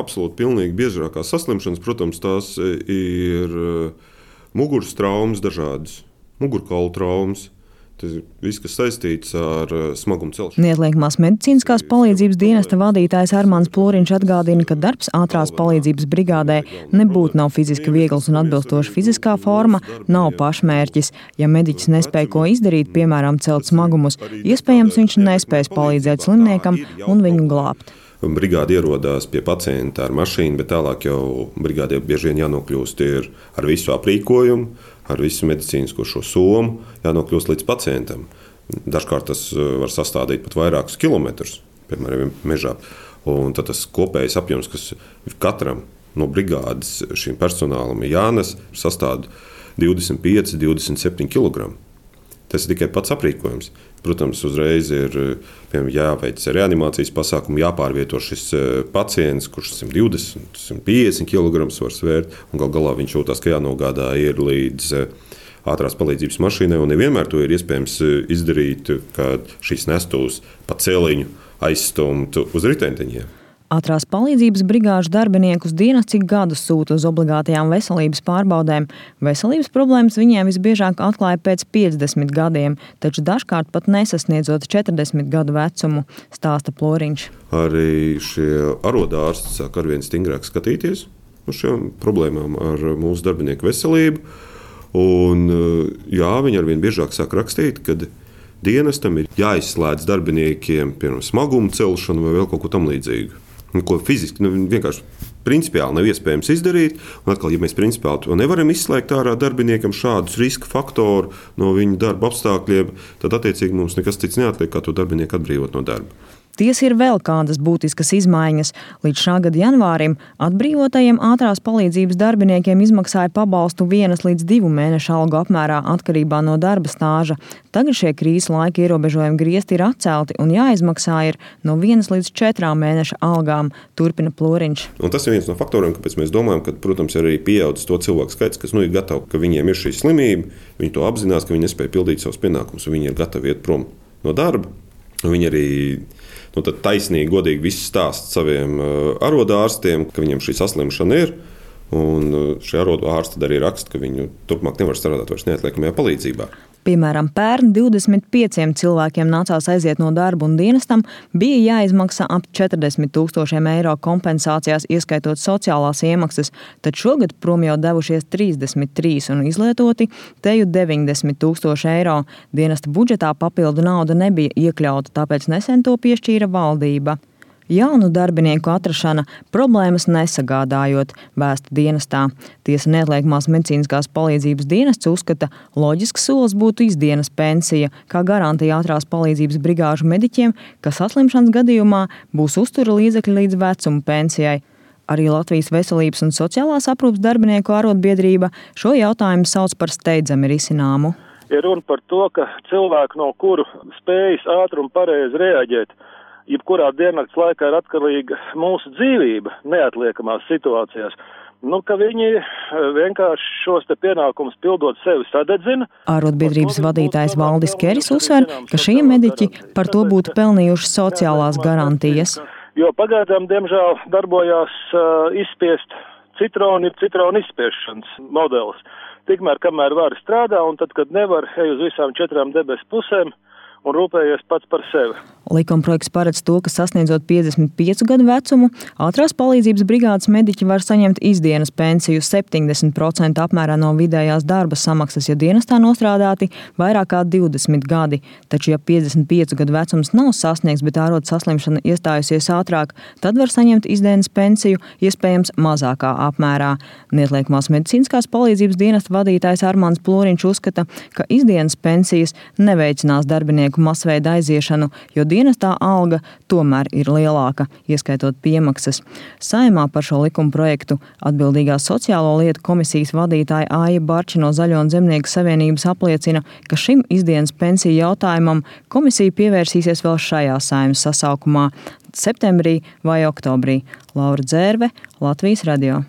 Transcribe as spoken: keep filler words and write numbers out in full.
absolūti pilnīgi biežākās saslimšanas, protams, tās ir muguras traumas dažādas, mugurkaulu traumas. Tas ir viss, kas saistīts ar smagumu celšanu. Neatliekamās medicīniskās palīdzības dienesta vadītājs Armāns Plūriņš atgādina, ka darbs ātrās palīdzības brigādē nebūtu nav fiziski viegls un atbilstoša fiziskā forma, nav pašmērķis. Ja mediķis nespēja ko izdarīt, piemēram, celt smagumus, iespējams viņš nespēs palīdzēt slimniekam un viņu glābt. Brigāde ierodās pie pacienta ar mašīnu, bet tālāk jau brigādē bieži vien jānokļūst ir ar visu aprīkojumu, ar visu medicīnisko šo somu, jānokļūst līdz pacientam. Dažkārt tas var sastādīt pat vairākus kilometrus, piemēram, mežā. Un tad tas kopējais apjoms, kas katram no brigādes šīm personālam ir jānes, sastāv divdesmit pieci, divdesmit septiņi kilogrami. Tas ir tikai pats aprīkojums. Protams, uzreiz ir piemēram, jāveic reanimācijas pasākumi, jāpārvieto šis pacients, kurš simt divdesmit, simt piecdesmit kilograms var svērt, un gal galā viņš jūtās, ka jānogādā ir līdz ātrās palīdzības mašīnai, un nevienmēr to ir iespējams izdarīt, kad šīs nestos pa celiņu aizstumtu uz riteņteņiem. Ātrās palīdzības brigāžu darbiniekus dienas cik gadus sūta uz obligātajām veselības pārbaudēm. Veselības problēmas viņiem visbiežāk atklāja pēc piecdesmit gadiem, taču dažkārt pat nesasniedzot četrdesmit gadu vecumu, stāsta Plūriņš. Arī šie arodārsti sāk arvien stingrāk skatīties uz šiem problēmām ar mūsu darbinieku veselību. Un, jā, viņi arvien biežāk sāk rakstīt, kad dienestam ir jāizslēdz darbiniekiem, piemēram, smagumu celšanu vai vēl kaut ko tam līdzīgu. Ko fiziski nu, vienkārši principiāli nav iespējams izdarīt. Un atkal, ja mēs principiāli to nevaram izslēgt ārā darbiniekam šādus riska faktoru no viņa darba apstākļiem, tad attiecīgi mums nekas cits neatliek, kā to darbinieku atbrīvot no darba. Ties ir vēl kādas būtiskas izmaiņas. Līdz šā gada janvārim atbrīvotajiem ātrās palīdzības darbiniekiem izmaksāja pabalstu vienas līdz divu mēnešu algu apmērā atkarībā no darba stāža. Tagad šie krīzes laika ierobežojumi griezti ir atcelti un jāizmaksā ir no vienas līdz četrām mēneša algām, turpina Plūriņš. Un tas ir viens no faktoriem, kāpēc mēs domājam, ka, protams, arī pieaudzis to cilvēku skaits, kas nu, ir gatavi, ka viņiem ir šī slimība, viņi to apzinās, ka viņi nespēja pildīt savus pienākumus, un viņi ir gatavi iet prom no darba. Viņi arī nu, taisnīgi, godīgi visu stāst saviem arodārstiem, ka viņiem šī saslimšana ir. Un šie arodārsti arī raksta, ka viņi turpmāk nevar strādāt vairs neatliekamajā palīdzībā. Piemēram, pērn divdesmit pieciem cilvēkiem nācās aiziet no darba un dienestam bija jāizmaksā ap četrdesmit tūkstošiem eiro kompensācijās, ieskaitot sociālās iemaksas, tad šogad prom jau devušies trīsdesmit trīs un izlietoti teju deviņdesmit tūkstoši eiro. Dienesta budžetā papildu nauda nebija iekļauta, tāpēc nesen to piešķīra valdība. Jaunu darbinieku atrašana problēmas nesagādājot, vēsta dienestā. Tiesa neatliekamās medicīniskās palīdzības dienests uzskata, loģisks solis būtu izdienas pensija, kā garantija ātrās palīdzības brigāžu mediķiem, ka saslimšanas gadījumā būs uztura līdzekļi līdz vecuma pensijai. Arī Latvijas veselības un sociālās aprūpes darbinieku arotbiedrība šo jautājumu sauc par steidzami risināmu. Ir runa par to, ka cilvēku, no kuru spējas ātri un pareizi reaģēt, jebkurā diennakts laikā ir atkarīga mūsu dzīvība neatliekamās situācijās. Nu, ka viņi vienkārši šos te pienākumus pildot sevi sadedzina. Arotbiedrības vadītājs Valdis Keris uzsver, ka šie mediķi par to būtu pelnījuši sociālās garantijas. Jo pagaidām, diemžēl, darbojās uh, izspiest citronu, ir citronu izspiešanas modelis. Tikmēr, kamēr var strādā, un tad, kad nevar, ej uz visām četrām debesu pusēm un rūpējies pats par sevi. Likumprojekts paredz to, ka sasniedzot piecdesmit piecu gadu vecumu, ātrās palīdzības brigādes mediķi var saņemt izdienas pensiju septiņdesmit procenti apmērā no vidējās darba samaksas, ja dienestā nostrādāti vairāk kā divdesmit gadi. Taču, ja piecdesmit piecu gadu vecums nav sasniegts, bet ārot saslimšana iestājusies ātrāk, tad var saņemt izdienas pensiju iespējams mazākā apmērā. Neatliekamās medicīniskās palīdzības dienesta vadītājs Armāns Plūriņš uzskata, ka izdienas pensijas neveicinās darbinieku masveida aiziešanu, jo dienestā alga tomēr ir lielāka, ieskaitot piemaksas. Saeimā par šo likuma projektu atbildīgā sociālo lietu komisijas vadītāja Aija Barči no Zaļo un Zemnieku savienības apliecina, ka šim izdienas pensiju jautājumam komisija pievērsīsies vēl šajā Saeimas sasaukumā septembrī vai oktobrī. Laura Dzērve, Latvijas radio.